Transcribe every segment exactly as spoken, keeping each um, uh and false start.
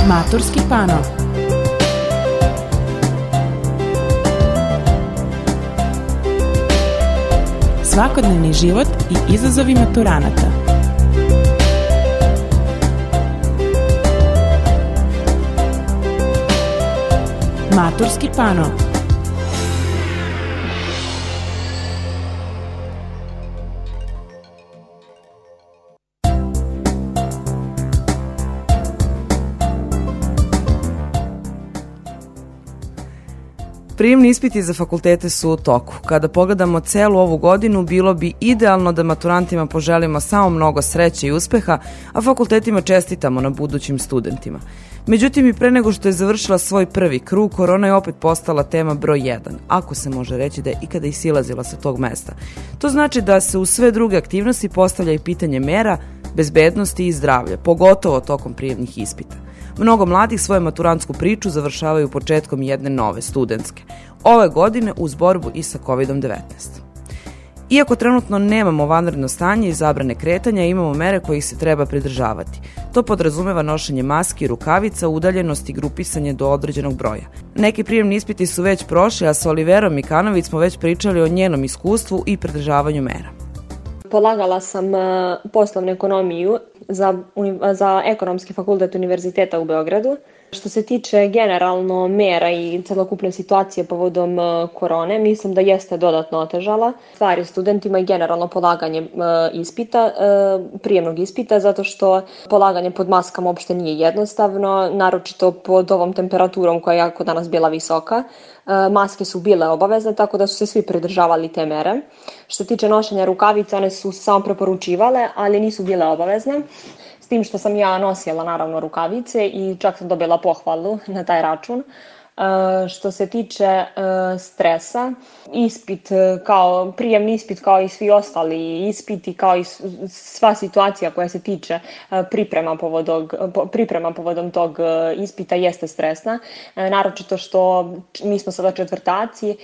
Maturski pano. Svakodnevni život i izazovi maturanata. Maturski pano. Prijemni ispiti za fakultete su u toku. Kada pogledamo celu ovu godinu, bilo bi idealno da maturantima poželimo samo mnogo sreće i uspeha, a fakultetima čestitamo na budućim studentima. Međutim, i pre nego što je završila svoj prvi krug, korona je opet postala tema broj jedan, ako se može reći da je ikada i silazila sa tog mesta. To znači da se u sve druge aktivnosti postavlja i pitanje mera, bezbednosti i zdravlja, pogotovo tokom prijemnih ispita. Mnogo mladih svoju maturantsku priču završavaju početkom jedne nove studentske. Ove godine uz borbu i sa kovid devetnaest. Iako trenutno nemamo vanredno stanje i zabrane kretanja, imamo mere kojih se treba pridržavati. To podrazumeva nošenje maski, rukavica, udaljenost i grupisanje do određenog broja. Neki prijemni ispiti su već prošli, a sa Oliverom Mikanović smo već pričali o njenom iskustvu i pridržavanju mera. Polagala sam poslovnu ekonomiju za, za ekonomski fakultet Univerziteta u Beogradu. Što se tiče generalno mera i celokupne situacije povodom korone, mislim da jeste dodatno otežala stvari studentima i generalno polaganje ispita, prijemnog ispita, zato što polaganje pod maskama uopšte nije jednostavno, naročito pod ovom temperaturom koja je jako danas bila visoka. Maske su bile obavezne, tako da su se svi pridržavali te mere. Što se tiče nošenja rukavica, one su samo preporučivale, ali nisu bile obavezne. S tim što sam ja nosila naravno rukavice i čak sam dobila pohvalu na taj račun. Što se tiče stresa, ispit kao prijemni ispit kao i svi ostali ispiti, kao i sva situacija koja se tiče priprema povodom, priprema povodom tog ispita jeste stresna, naročito što mi smo sada četvrtaci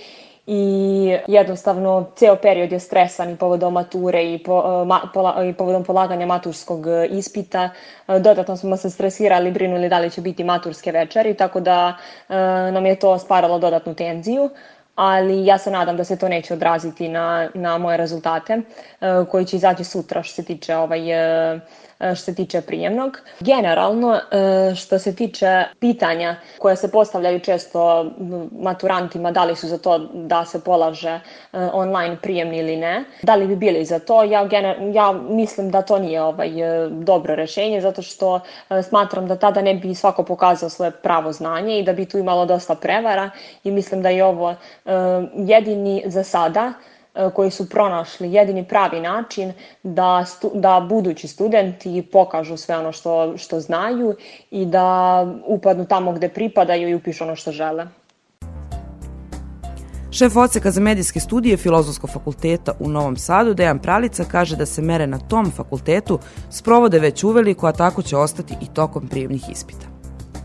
i jednostavno ceo period je stresan i povodom mature i, po, ma, pola, i povodom polaganja maturskog ispita. Dodatno smo se stresirali, brinuli da li će biti maturske večeri, tako da e, nam je to stvaralo dodatnu tenziju. Ali ja se nadam da se to neće odraziti na, na moje rezultate e, koji će izaći sutra što se tiče ovaj e, što se tiče prijemnog. Generalno, što se tiče pitanja koje se postavljaju često maturantima, da li su za to da se polaže online prijemni ili ne, da li bi bili za to, ja, gener- ja mislim da to nije ovaj dobro rešenje, zato što smatram da tada ne bi svako pokazao svoje pravo znanje i da bi tu imalo dosta prevara i mislim da je ovo jedini za sada koji su pronašli jedini pravi način da, stu, da budući studenti pokažu sve ono što, što znaju i da upadnu tamo gde pripadaju i upišu ono što žele. Šef odseka za medijske studije Filozofskog fakulteta u Novom Sadu, Dejan Pralica, kaže da se mere na tom fakultetu sprovode već uveliko, a tako će ostati i tokom prijemnih ispita.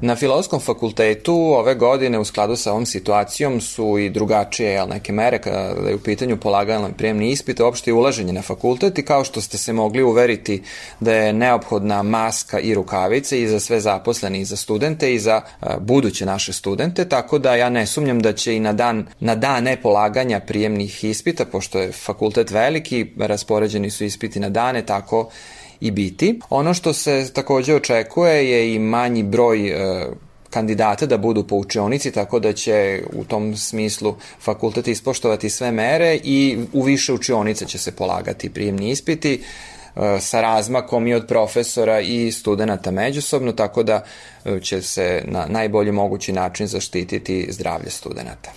Na Filozofskom fakultetu ove godine u skladu sa ovom situacijom su i drugačije jel, neke mere kada je u pitanju polaganje prijemni ispit, uopšte i ulaženje na fakultet i kao što ste se mogli uveriti da je neophodna maska i rukavice i za sve zaposlene i za studente i za uh, buduće naše studente, tako da ja ne sumnjam da će i na dan na dane polaganja prijemnih ispita, pošto je fakultet veliki, raspoređeni su ispiti na dane, tako i biti. Ono što se takođe očekuje je i manji broj e, kandidata da budu po učionici, tako da će u tom smislu fakultet ispoštovati sve mere i u više učionice će se polagati prijemni ispiti e, sa razmakom i od profesora i studenata međusobno, tako da e, će se na najbolji mogući način zaštititi zdravlje studenata.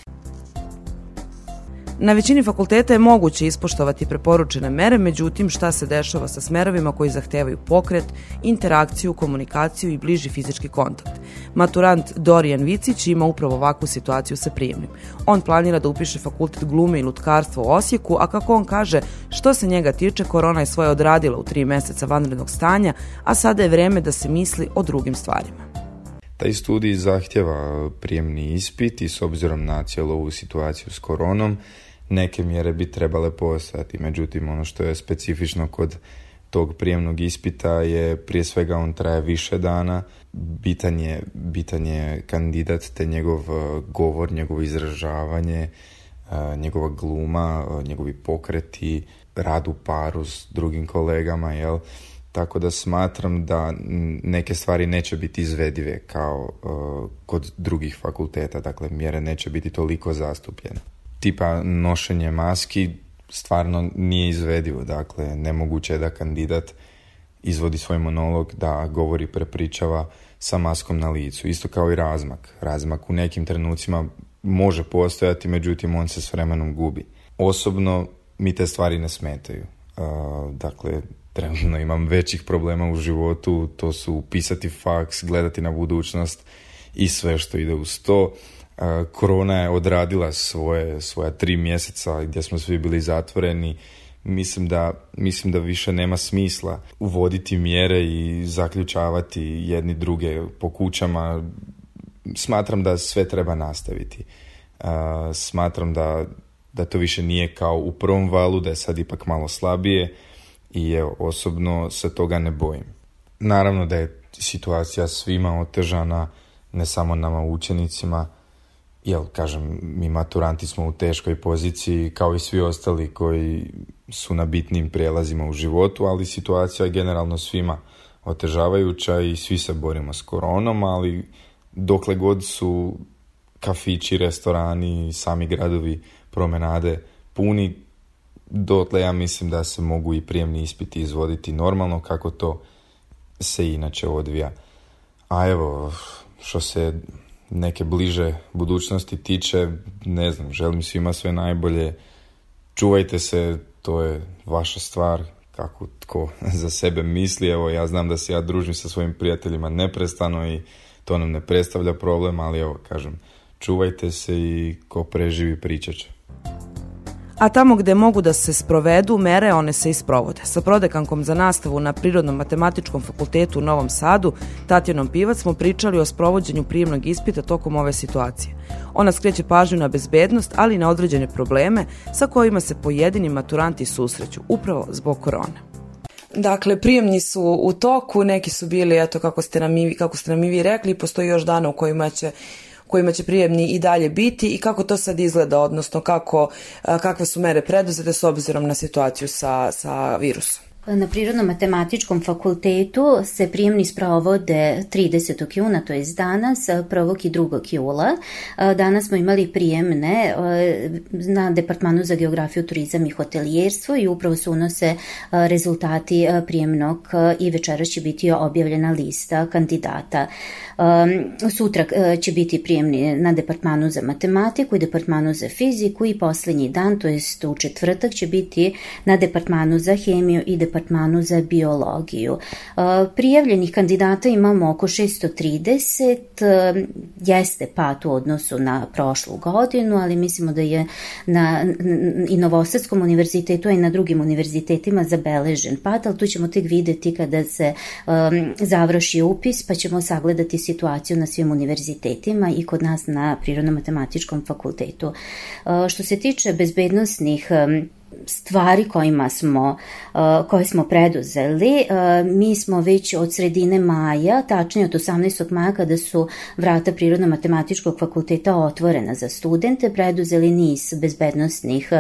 Na većini fakulteta je moguće ispoštovati preporučene mere, međutim šta se dešava sa smerovima koji zahtevaju pokret, interakciju, komunikaciju i bliži fizički kontakt. Maturant Dorijan Vicić ima upravo ovakvu situaciju sa prijemnim. On planira da upiše fakultet glume i lutkarstva u Osijeku, a kako on kaže, što se njega tiče, korona je svoje odradila u tri meseca vanrednog stanja, a sada je vreme da se misli o drugim stvarima. Taj studij zahtjeva prijemni ispit i s obzirom na cijelu ovu situaciju s koronom, neke mjere bi trebale postojati. Međutim, ono što je specifično kod tog prijemnog ispita je prije svega on traje više dana, bitan je, bitan je kandidat te njegov govor, njegovo izražavanje, njegova gluma, njegovi pokreti, rad u paru s drugim kolegama, jel? Tako da smatram da neke stvari neće biti izvedive kao uh, kod drugih fakulteta, dakle mjere neće biti toliko zastupljene. Tipa nošenje maski stvarno nije izvedivo, dakle nemoguće je da kandidat izvodi svoj monolog, da govori, prepričava sa maskom na licu, isto kao i razmak. Razmak u nekim trenucima može postojati, međutim on se s vremenom gubi. Osobno mi te stvari ne smetaju. Uh, dakle, trenutno imam većih problema u životu, to su pisati faks, gledati na budućnost i sve što ide uz to. Uh, korona je odradila svoje, svoja tri mjeseca gdje smo svi bili zatvoreni. Mislim da, mislim da više nema smisla uvoditi mjere i zaključavati jedni druge po kućama. Smatram da sve treba nastaviti. Uh, smatram da, da to više nije kao u prvom valu, da je sad ipak malo slabije i evo, osobno se toga ne bojim. Naravno da je situacija svima otežana, ne samo nama učenicima, jel, kažem, mi maturanti smo u teškoj poziciji kao i svi ostali koji su na bitnim prijelazima u životu, ali situacija je generalno svima otežavajuća i svi se borimo s koronom, ali dokle god su kafići, restorani, sami gradovi, promenade puni, dotle ja mislim da se mogu i prijemni ispiti izvoditi normalno kako to se inače odvija. A evo, što se neke bliže budućnosti tiče, ne znam, želim svima sve najbolje, čuvajte se, to je vaša stvar, kako tko za sebe misli. Evo, ja znam da se ja družim sa svojim prijateljima neprestano i to nam ne predstavlja problem, ali evo, kažem, čuvajte se i ko preživi pričat će. A tamo gde mogu da se sprovedu mere, one se i sprovode. Sa prodekankom za nastavu na Prirodno-matematičkom fakultetu u Novom Sadu, Tatjanom Pivac, smo pričali o sprovođenju prijemnog ispita tokom ove situacije. Ona skreće pažnju na bezbednost, ali i na određene probleme sa kojima se pojedini maturanti susreću, upravo zbog korone. Dakle, prijemni su u toku, neki su bili, eto, kako ste nam i, kako ste nam i vi rekli, postoji još dana u kojima će kojima će prijemni i dalje biti i kako to sad izgleda, odnosno kako, kakve su mere preduzete s obzirom na situaciju sa, sa virusom. Na Prirodno-matematičkom fakultetu se prijemni sprovode tridesetog juna, to je danas, prvog i drugog jula. Danas smo imali prijemne na Departmanu za geografiju, turizam i hotelijerstvo i upravo se unose rezultati prijemnog i večeras će biti objavljena lista kandidata. Sutra će biti prijemni na Departmanu za matematiku i Departmanu za fiziku i posljednji dan, to jest u četvrtak, će biti na Departmanu za hemiju i Departmanu za biologiju. Prijavljenih kandidata imamo oko šesto trideset, jeste pad u odnosu na prošlu godinu, ali mislimo da je na i Novosadskom univerzitetu, a i na drugim univerzitetima zabeležen pad, ali tu ćemo tek vidjeti kada se um, završi upis, pa ćemo sagledati situaciju na svim univerzitetima i kod nas na Prirodno-matematičkom fakultetu. Uh, što se tiče bezbednosnih um, stvari kojima smo, koje smo preduzeli, mi smo već od sredine maja, tačnije od osamnaestog maja kada su vrata Prirodno-matematičkog fakulteta otvorena za studente, preduzeli niz bezbednosnih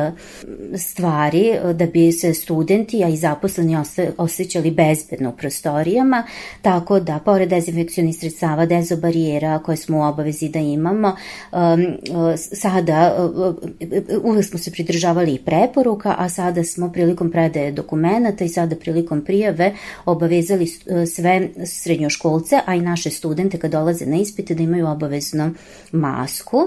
stvari da bi se studenti, a i zaposleni osjećali bezbedno u prostorijama, tako da pored dezinfekcionih sredstava, dezobarijera koje smo u obavezi da imamo, sada uvek smo se pridržavali i preporuka, a sada smo prilikom predaje dokumenata i sada prilikom prijave obavezali sve srednjoškolce, a i naše studente kad dolaze na ispite da imaju obavezno masku.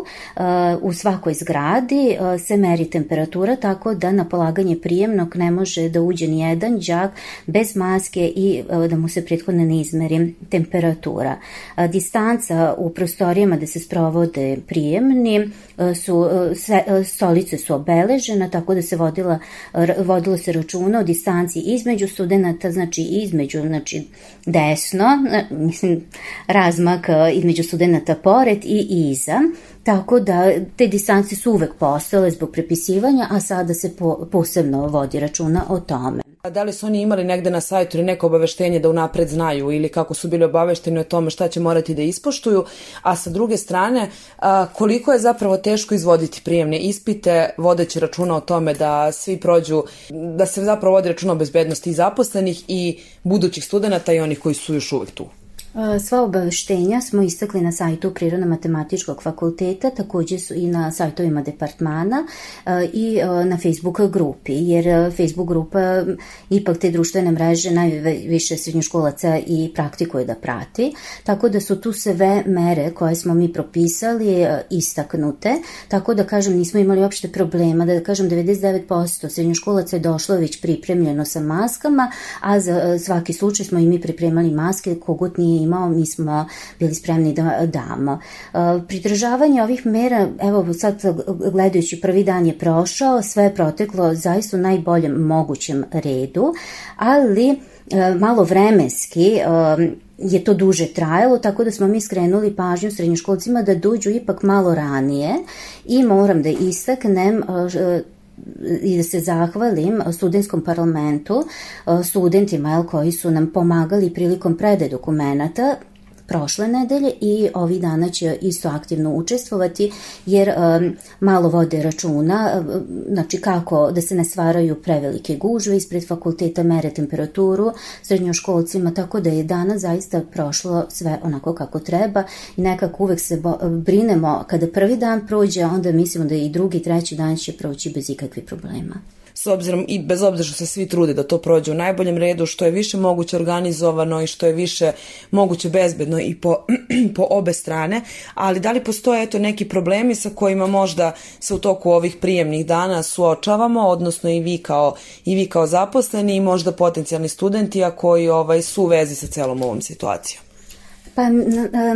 U svakoj zgradi se meri temperatura, tako da na polaganje prijemnog ne može da uđe ni jedan đak bez maske i da mu se prethodno ne izmeri temperatura. Distanca u prostorijama gde se sprovode prijemni su, stolice su obeležene, tako da se vodila vodilo se računa o distanci između studenta, znači između, znači desno, mislim razmak između studenta pored i iza, tako da te distance su uvek postojale zbog prepisivanja, a sada se po, posebno vodi računa o tome. A da li su oni imali negde na sajtu ili neko obaveštenje da unapred znaju ili kako su bili obavešteni o tome šta će morati da ispoštuju, a sa druge strane koliko je zapravo teško izvoditi prijemne ispite, vodeći računa o tome da svi prođu, da se zapravo vodi računa o bezbednosti i zaposlenih i budućih studenata i onih koji su još uvek tu? Sva obaveštenja smo istakli na sajtu Prirodno-matematičkog fakulteta, također su i na sajtovima departmana i na Facebook grupi, jer Facebook grupa ipak te društvene mreže najviše srednjoškolaca i praktikuje da prati, tako da su tu sve mere koje smo mi propisali istaknute, tako da kažem nismo imali uopšte problema, da kažem devedeset devet posto srednjoškolaca je došlo već pripremljeno sa maskama, a za svaki slučaj smo i mi pripremali maske, kogut nije imao, mi smo bili spremni da damo. Pridržavanje ovih mera, evo sad gledajući prvi dan je prošao, sve je proteklo zaista u najboljem mogućem redu, ali malo vremenski je to duže trajalo, tako da smo mi skrenuli pažnju srednjoškolcima da dođu ipak malo ranije i moram da istaknem i da se zahvalim studentskom parlamentu, studentima koji su nam pomagali prilikom predaje dokumenata prošle nedelje i ovih dana će isto aktivno učestvovati jer um, malo vode računa, znači kako da se ne stvaraju prevelike gužve ispred fakulteta, mere temperaturu srednjoškolcima, tako da je danas zaista prošlo sve onako kako treba i nekako uvek se bo- brinemo kada prvi dan prođe, onda mislimo da i drugi, treći dan će proći bez ikakvih problema. S obzirom i bez obzira što se svi trude da to prođe u najboljem redu, što je više moguće organizovano i što je više moguće bezbedno i po, po obe strane, ali da li postoje eto neki problemi sa kojima možda se u toku ovih prijemnih dana suočavamo, odnosno i vi kao, i vi kao zaposleni i možda potencijalni studenti, a koji ovaj, su u vezi sa celom ovom situacijom? Pa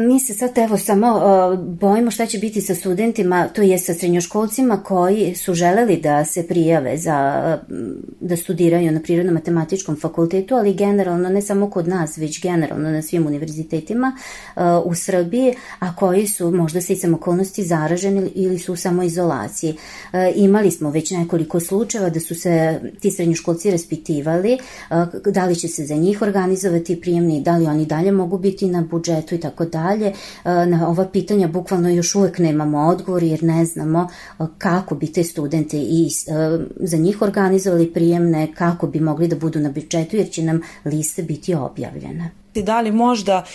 mi se sad evo samo bojimo šta će biti sa studentima, to je sa srednjoškolcima koji su želeli da se prijave za, da studiraju na Prirodno-matematičkom fakultetu, ali generalno ne samo kod nas, već generalno na svim univerzitetima u Srbiji, a koji su možda se i samokolnosti zaraženi ili su u samoizolaciji. Imali smo već nekoliko slučajeva da su se ti srednjoškolci raspitivali da li će se za njih organizovati prijemni, da li oni dalje mogu biti na budžetu i tako dalje. Na ova pitanja bukvalno još uvek nemamo odgovor jer ne znamo kako bi te studente i za njih organizovali prijemne, kako bi mogli da budu na budžetu jer će nam liste biti objavljene. Da li možda,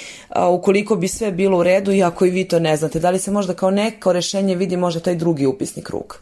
ukoliko bi sve bilo u redu, iako i vi to ne znate, da li se možda kao neko rešenje vidi možda taj drugi upisni krug?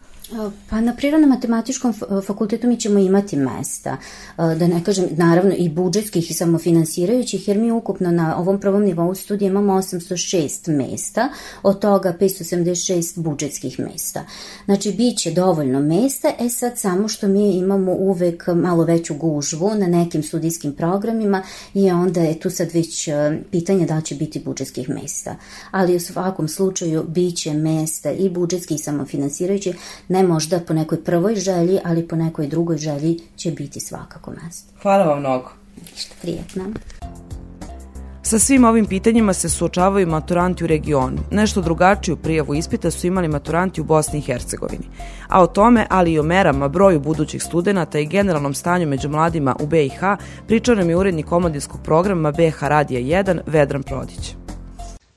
Pa na Prirodno-matematičkom fakultetu mi ćemo imati mesta, da ne kažem naravno i budžetskih i samofinansirajućih, jer mi ukupno na ovom prvom nivou studija imamo osamsto šest mesta, od toga petsto sedamdeset šest budžetskih mesta. Znači bit će dovoljno mesta, e sad samo što mi imamo uvek malo veću gužvu na nekim studijskim programima i onda je tu sad već pitanje da li će biti budžetskih mesta. Ali u svakom slučaju bit će mesta i budžetski i samofinansirajući, ne možda po nekoj prvoj želji, ali po nekoj drugoj želji će biti svakako mesto. Hvala vam mnogo. Prijetno. Sa svim ovim pitanjima se suočavaju maturanti u regionu. Nešto drugačiju prijavu ispita su imali maturanti u Bosni i Hercegovini. A o tome, ali i o merama, broju budućih studenata i generalnom stanju među mladima u B i H, pričao nam je urednik omladinskog programa B H Radija jedan, Vedran Prodić.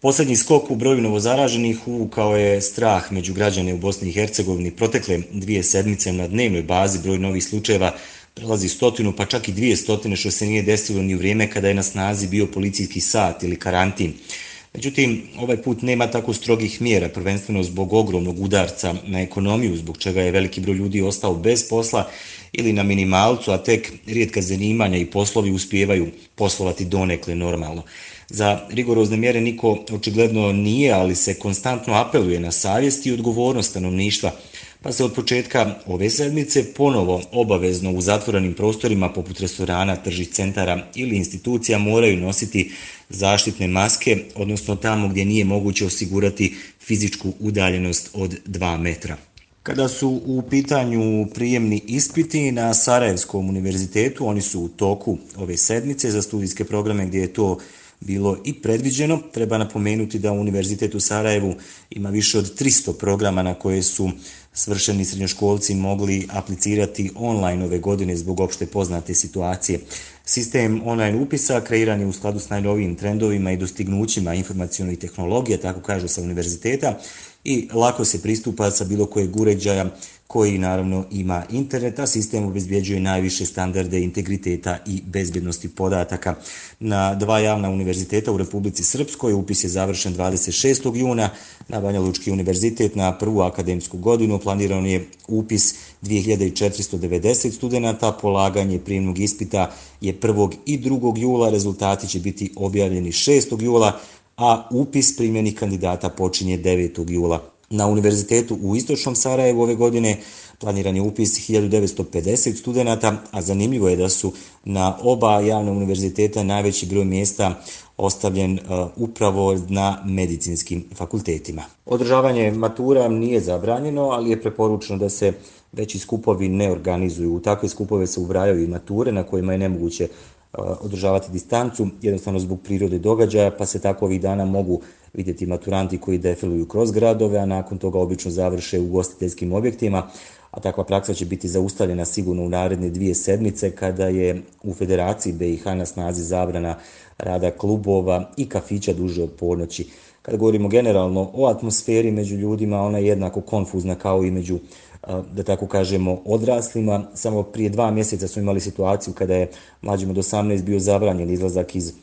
Poslednji skok u broju novozaraženih uvukao je strah među građane u Bosni i Hercegovini. Protekle dvije sedmice na dnevnoj bazi broj novih slučajeva prelazi stotinu, pa čak i dvije stotine, što se nije desilo ni u vrijeme kada je na snazi bio policijski sat ili karantin. Međutim, ovaj put nema tako strogih mjera, prvenstveno zbog ogromnog udarca na ekonomiju, zbog čega je veliki broj ljudi ostao bez posla ili na minimalcu, a tek rijetka zanimanja i poslovi uspijevaju poslovati donekle normalno. Za rigorozne mjere niko očigledno nije, ali se konstantno apeluje na savjest i odgovornost stanovništva, pa se od početka ove sedmice ponovo obavezno u zatvorenim prostorima poput restorana, tržnih centara ili institucija moraju nositi zaštitne maske, odnosno tamo gdje nije moguće osigurati fizičku udaljenost od dva metra. Kada su u pitanju prijemni ispiti na Sarajevskom univerzitetu, oni su u toku ove sedmice za studijske programe gdje je to bilo i predviđeno. Treba napomenuti da Univerzitet u Sarajevu ima više od tristo programa na koje su svršeni srednjoškolci mogli aplicirati online ove godine zbog opšte poznate situacije. Sistem online upisa kreiran je u skladu s najnovijim trendovima i dostignućima informacionih tehnologija, tako kažu sa univerziteta, i lako se pristupa sa bilo kojeg uređaja koji naravno ima internet, a sistem obezbjeđuje najviše standarde integriteta i bezbjednosti podataka. Na dva javna univerziteta u Republici Srpskoj upis je završen dvadeset šestog juna, na Banja Lučki univerzitet na prvu akademsku godinu planiran je upis dvije hiljade četiristo devedeset studenata, polaganje prijemnog ispita je prvog i drugog jula, rezultati će biti objavljeni šestog jula, a upis primljenih kandidata počinje devetog jula. Na Univerzitetu u Istočnom Sarajevu ove godine planiran je upis hiljadu devetsto pedeset studenata, a zanimljivo je da su na oba javna univerziteta najveći broj mjesta ostavljen uh, upravo na medicinskim fakultetima. Održavanje matura nije zabranjeno, ali je preporučeno da se veći skupovi ne organizuju. U takve skupove se ubrajaju i mature na kojima je nemoguće uh, održavati distancu, jednostavno zbog prirode događaja, pa se tako ovih dana mogu vidjeti maturanti koji defiluju kroz gradove, a nakon toga obično završe u ugostiteljskim objektima, a takva praksa će biti zaustavljena sigurno u naredne dvije sedmice kada je u Federaciji be i ha na snazi zabrana rada klubova i kafića duže od ponoći. Kada govorimo generalno o atmosferi među ljudima, ona je jednako konfuzna kao i među, da tako kažemo, odraslima. Samo prije dva mjeseca smo imali situaciju kada je mlađim od osamnaest bio zabranjen izlazak iz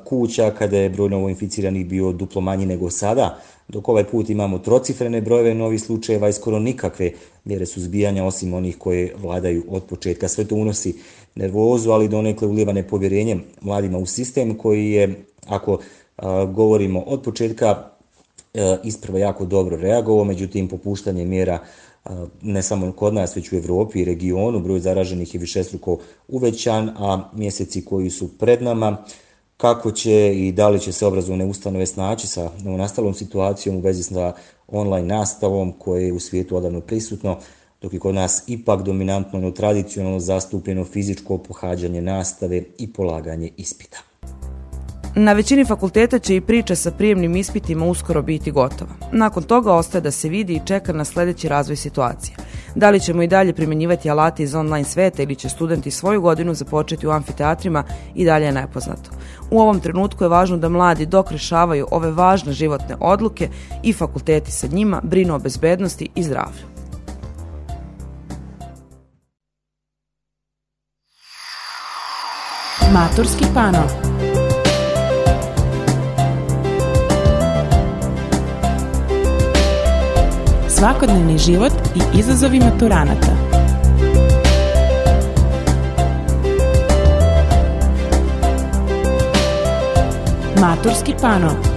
kuća, kada je broj novoinficiranih bio duplo manji nego sada, dok ovaj put imamo trocifrene brojeve novih slučajeva i skoro nikakve mjere suzbijanja osim onih koje vladaju od početka. Sve to unosi nervozu, ali donekle ulijeva nepovjerenje mladima u sistem koji je, ako a, govorimo od početka, a, isprva jako dobro reagovao, međutim popuštanje mjera a, ne samo kod nas, već u Evropi i regionu, broj zaraženih je višestruko uvećan, a mjeseci koji su pred nama, kako će i da li će se obrazovne ustanove snaći sa novonastalom situacijom u vezi sa online nastavom koje je u svijetu odavno prisutno, dok je kod nas ipak dominantno no tradicionalno zastupljeno fizičko pohađanje nastave i polaganje ispita. Na većini fakulteta će i priča sa prijemnim ispitima uskoro biti gotova. Nakon toga ostaje da se vidi i čeka na sljedeći razvoj situacije. Da li ćemo i dalje primjenjivati alate iz online sveta ili će studenti svoju godinu započeti u amfiteatrima i dalje je nepoznato. U ovom trenutku je važno da mladi dok rešavaju ove važne životne odluke i fakulteti sa njima brinu o bezbednosti i zdravlju. Maturski pano. Svakodnevni život i izazovi maturanata. Maturski pano.